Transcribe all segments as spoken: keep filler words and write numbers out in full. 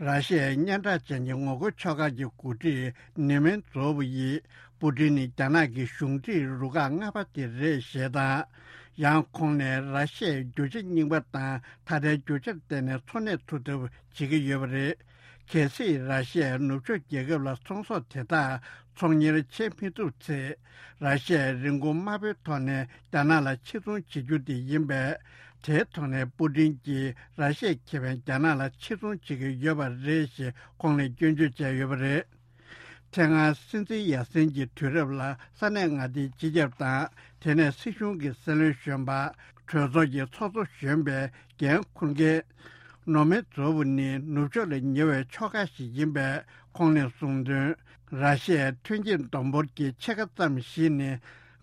ར་ཤི་ཡའི་སྙན་གྲགས་ཅན་གྱི་ངོ་རྒོལ་ཕྱོགས་ཁག་གི་འགོ་ཁྲིད་ནེ་མན་ཛོ་ཝུ་ཡིས་པུ་ཏིན་ནི་རྒྱ་ནག་གི་གཞུང་འབྲེལ་རུ་ཁག་ལྔ་པ་དེ་རེད་ཞེས་དང་། ཡང་ཁོང་ནས་ར་ཤི་ཡའི་རྒྱུ་ཆ་རྙིང་པ་དང་ད་ལྟའི་རྒྱུ་ཆར་བརྟེན་ནས་འཚོ་གནས་ཐུབ་ཐབས་བྱེད་ཀྱི་ཡོད་པ་རེད། གལ་སྲིད་ར་ཤི་ཡའི་ནུབ་ཕྱོགས་རྒྱལ་ཁབ་ལ་ཚོང་ཟོག་དེ་དག་ཚོང་གཉེར་བྱེད་མི་ཐུབ་ཚེ། ར་ཤི་ཡའི་རིན་གོང་དམའ་པོའི་ཐོག་ནས་རྒྱ་ནག་ལ་ཕྱིར་ཚོང་བྱེད་རྒྱུ་དེ་ཡིན་པས། དེའི་ཐོག་ནས་པུ་ཏིན་གྱིས་ར་ཤི་ཡའི་ཁེ་ཕན་རྒྱ་ནག་ལ་ཕྱིར་ཚོང་བྱེད་ཀྱི་ཡོད་པ་རེད་ཞེས་ཁོང་ནས་སྐྱོན་བརྗོད་བྱས་ཡོད་པ་རེད། དེ་སྔ་སྲིད་འཛིན་ཡར་སེན་གྱི་དུས་རབས་ལ་ས་གནས་མངའ་སྡེའི་སྤྱི་ཁྱབ་དང་དེ་ནས་སྲིད་གཞུང་གི་སྲིད་བློན་གཞོན་པ། གྲོས་ཚོགས་ཀྱི་ཚོགས་གཙོ་གཞོན་པའི་འགན་འཁུར་མཁན་ནོ་མེ་ཛོ་ཝུ་ནི་ནུབ་ཕྱོགས་ལས་ཉེ་བའི་ཕྱོགས་ཁག་ཞིག་ཡིན་པས། ཁོང་ནས་གསུངས་དོན། ར་ཤི་ཡའི་ཐོན་སྐྱེད་བསྡོམས་འབོར་གྱི་ཕྱེད་ཀ་ཙམ་ཞིག་ནི་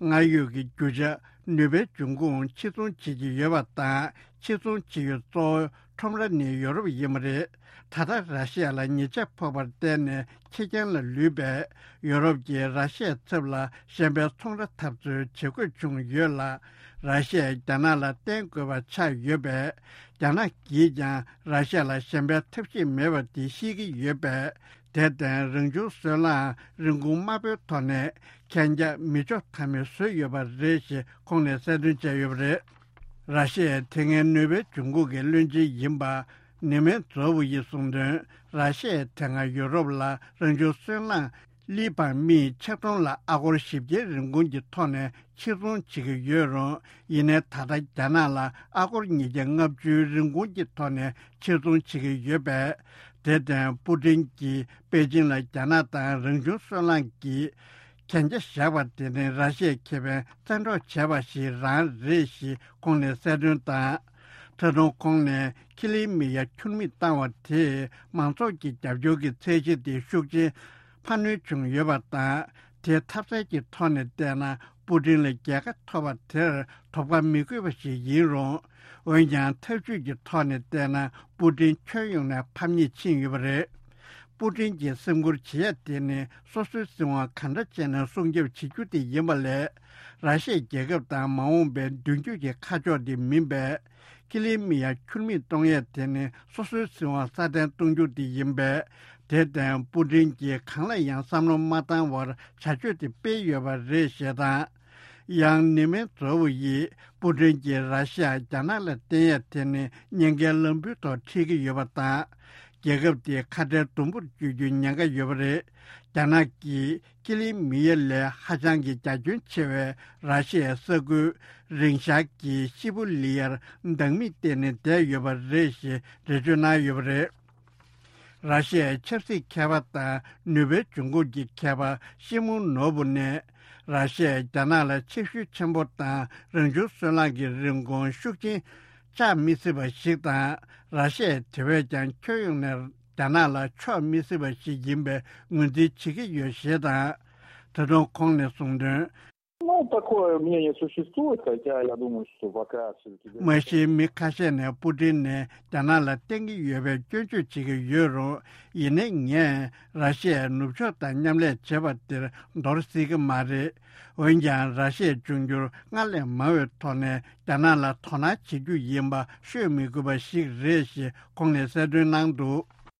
སྔར་ཡོད་ཀྱི་རྒྱུ་ཆ་ནུས་པའི་འབྱུང་ཁུངས་ཕྱིར་ཚོང་བྱེད་ཀྱི་ཡོད་པ་དང་། ཕྱིར་ཚོང་བྱེད་ཡུལ་གཙོ་བོ་ཁྲོམ་ར་ནི་ཡོ་རོབ་ཡིན་པ་རེད། ད་ལྟ་ར་ཤི་ཡ་ལ་ཉེས་ཆད་ཕོག་པར་བརྟེན་ནས་ཁེར་རྐྱང་ལ་ལུས་པས། ཡོ་རོབ་ཀྱིས་ར་ཤི་ཡའི་ཚབ་ལ་གཞན་པའི་ཚོང་ར་འཐབ་རྩོད་བྱེད་དགོས་བྱུང་ཡོད་ལ། ར་ཤི་ཡས་རྒྱ་ནག་ལ་བརྟེན་དགོས་པ་ཆགས་ཡོད་པས། རྒྱ་ནག་གིས་ཀྱང་ར་ཤི་ཡ་ལ་གཞན་པའི་ཐབས་ཤེས་མེད་པ་དེ་ཤེས་ཀྱི་ཡོད་པས། དེར་བརྟེན་རང་བྱུང་སོལ་རླངས་རིན་གོང་དམའ་པོའི་ཐོག་ནས་གན་རྒྱ་མི་འཇོག་ཐབས་མེད་བཟོས་ཡོད་པ་རེད་ཞེས་ཁོང་ནས་གསལ་སྟོན་བྱས་ཡོད་པ་རེད། ར་ཤི་ཡའི་དེ་སྔའི་ནུས་པའི་འབྱུང་ཁུངས་ཀྱི་བློན་ཆེན་ཡིན་པ་ནེ་མེན་ཛོ་ཝུ་ཡིས་གསུངས་དོན། ར་ཤི་ཡས་དེ་སྔ་ཡོ་རོབ་ལ་རང་བྱུང་སོལ་རླངས་ལི་བང་མི་ཆིག་སྟོང་ལ་ཨ་སྒོར་བཞི་བརྒྱའི་རིན་གོང་གི་ཐོག་ནས་ཕྱིར་ཚོང་བྱེད་ཀྱི་ཡོད་རུང་། ཡིན་ནའི་ད་ལྟ་རྒྱ་ནག་ལ་ཨ་སྒོར་ཉིས་བརྒྱ་ལྔ་བཅུའི་རིན་གོང་གི་ཐོག་ནས་ཕྱིར་ཚོང་བྱེད་ཀྱི་ཡོད་པས། དེར་བརྟེན་པུ་ཏིན་གྱིས་པེ་ཅིང་ལ་རྒྱ་ནག་དང་རང་བྱུང་སོལ་རླངས་ཀྱི་གན་རྒྱ་བཞག་པ་དེ་ནི་ར་ཤི་ཡའི་ཁེ་ཕན་བཙན་འཕྲོག་བྱས་པ་ཞིག་རང་རེད་ཞེས་ཁོང་ནས་གསལ་སྟོན་དང་། ད་དུང་ཁོང་ནས་ཁི་ལི་མི་ཡ་ཁྱུར་མིད་བཏང་བ་དེས་མང་ཚོགས་ཀྱི་རྒྱབ་སྐྱོར་གྱི་ཚད་གཞི་དེ་ཤུགས་ཆེན་འཕར་སྣོན་བྱུང་ཡོད་པ་དང་། དེ་ཐབས་ཟད་ཀྱི་ཐོག་ནས་བལྟས་ན་པུ་ཏིན་ལ་རྒྱལ་ཁ་ཐོབ་པ་དེར་དོགས་པ་མི་དགོས་པ་ཞིག་ཡིན་རུང་། འོན་ཀྱང་ཐབས་ཇུས་ཀྱི་ཐོག་ནས་བལྟས་ན་པུ་ཏིན་ཁྱོན་ཡོངས་ནས་ཕམ་ཉེས་ཕྱིན་ཡོད་པ་རེད། པུ་ཏིན་གྱིས་སེམས་ཁུར་བྱེད་ཡ་དེ་ནི་སོ་སོའི་སྲིད་དབང་ག་འདྲ་བྱས་ནས་སྲུང་སྐྱོབ་བྱེད་རྒྱུ་དེ་ཡིན་པ་ལས། ར་ཤི་ཡའི་རྒྱལ་ཁབ་དང་མ་འོངས་པའི་མདུན་སྐྱོད་ཀྱི་ཁ་ཕྱོགས་དེ་མིན་པས། ཁི་ལི་མི་ཡ་ཁྱུར་མིད་གཏོང་ཡས་དེ་ནི་སོ་སོའི་སྲིད་དབང་སྲ་བརྟན་གཏོང་རྒྱུ་དེ་ཡིན་པས། དེར་བརྟེན་པུ་ཏིན་གྱིས་གང་ལ་ཡང་བསམ་བློ་མ་བཏང་བར་བྱ་སྤྱོད་དེ་སྤེལ་ཡོད་པ་རེད་ཞེས་དང་། ཡང་ནེ་མེན་ཛོ་ཝུ་ཡིས་པུ་ཏིན་གྱིས་ར་ཤི་ཡ་རྒྱ་ནག་ལ་བརྟེན་ཡས་དེ་ནི་ཉེན་ཁའི་ལམ་བུའི་ཐོག་ཁྲིད་ཀྱི་ཡོད་པ་དང་། རྒྱལ་ཁབ་དེ་ཁ་བྲལ་དུམ་བུར་བསྐྱོད་རྒྱུའི་ཉེན་ཁ་ཡོད་པ་རེད། རྒྱ་ནག་གིས་ཀི་ལི་མི་ཡ་ལས་ཧ་ཅང་གི་རྒྱ་ཁྱོན་ཆེ་བའི་ར་ཤི་ཡའི་ས་ཁུལ་རིང་ཤར་གྱི་ཤི་བུ་ལི་ཡར་བདག་མེད་བཏེགས་ནས་བསྡད་ཡོད་པ་རེད་ཞེས་འགྲེལ་བརྗོད་གནང་ཡོད་པ་རེད། ར་ཤི་ཡའི་ཆབ་སྲིད་མཁས་པ་དང་ནུས་པའི་འབྱུང་ཁུངས་ཀྱི་མཁས་པ་ཤི་མུ་ནོ་བུ་ནས། ར་ཤི་ཡས་རྒྱ་ནག་ལ་ཆེ་ཤུགས་ཆེན་པོ་དང་རང་བྱུང་སོལ་རླངས་ཀྱི་རིན་གོང་ཤུགས་ཆེན་བཅག་མི་སྲིད་པ་ཞིག་དང་། ར་ཤི་ཡས་དེ་བས་ཀྱང་ཁྱོན་ཡོངས་ནས་རྒྱ་ནག་ལ་ཕྱོགས་མི་སྲིད་པ་ཞིག་ཡིན་པའི་ངོས་འཛིན་བྱེད་ཀྱི་ཡོད་ཞེས་དང་། ད་དུང་ཁོང་ནས་གསུངས་དོན། Ну, такое мнение существует, хотя я думаю, что пока всё-таки མ་གཞི་མི་ཁ་ཤས་ནས་པུ་ཏིན་ནས་རྒྱ་ནག་ལ་བརྟེན་གྱི་ཡོད་པའི་སྐྱོན་བརྗོད་བྱེད་ཀྱི་ཡོད་རུང་། ཡིན་ནའི་ངས་ར་ཤི་ཡའི་ནུབ་ཕྱོགས་དང་མཉམ་ལས་བྱེད་པ་དེར་འདོར་སྲིད་ཀྱི་མ་རེད། འོན་ཀྱང་ར་ཤི་ཡའི་འབྱུང་འགྱུར་སྔར་ལས་མང་བའི་ཐོག་ནས་རྒྱ་ནག་ལ་དོ་སྣང་བྱེད་རྒྱུ་ཡིན་པ་ཤོད་མི་དགོས་པ་ཞིག་རེད་ཞེས་ཁོང་ནས་གསལ་སྟོན་གནང་འདུག